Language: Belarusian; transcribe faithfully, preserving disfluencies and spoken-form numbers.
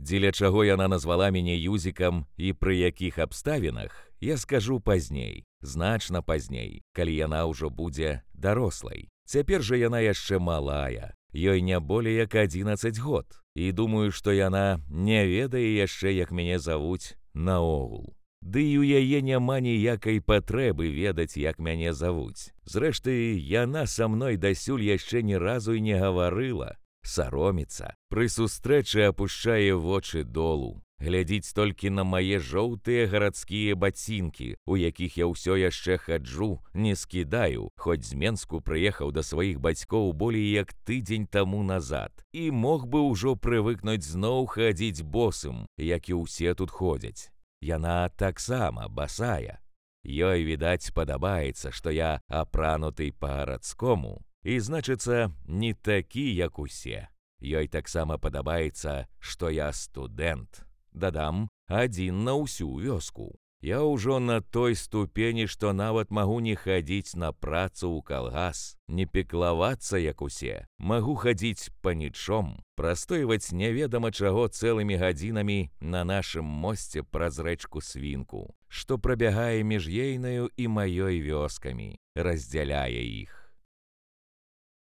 Дзеля чаго яна назвала мяне Юзікам і пры якіх абставінах, я скажу пазней, значна пазней, калі яна ўжо будзе дарослай. Цяпер жа яна яшчэ малая, ёй не болей як адзінаццаць год, і думаю, што яна не ведае яшчэ, як мяне завуць наогул. Ды і ў яе няма ніякай патрэбы ведаць, як мяне завуць. Зрэшты, яна са мной дасюль яшчэ ні разу і не гаварыла. Сароміцца, пры сустрэчы апушчае вочы долу, глядзіць толькі на мае жоўтыя гарадскія бацінкі, у якіх я ўсё яшчэ хаджу, не скідаю, хоць з Менску прыехаў да сваіх бацькоў болей як тыдзень таму назад, і мог бы ўжо прывыкнуць зноў хадзіць босым, як і ўсе тут ходзяць. Яна таксама басая. Ёй, відаць, падабаецца, што я апрануты па-гарадскому, і, значыцца, не такі, як усе. Ёй таксама падабаецца, што я студэнт. Дадам, адзін на ўсю вёску. Я ўжо на той ступені, што нават магу не хадзіць на працу ў калгас, не пеклавацца, як усе. Магу хадзіць панічом, прастойваць неведама чаго цэлымі гадзінамі на нашым мосце праз рэчку Свінку, што прабягае між ейнаю і маёй вёскамі, раздзяляе іх.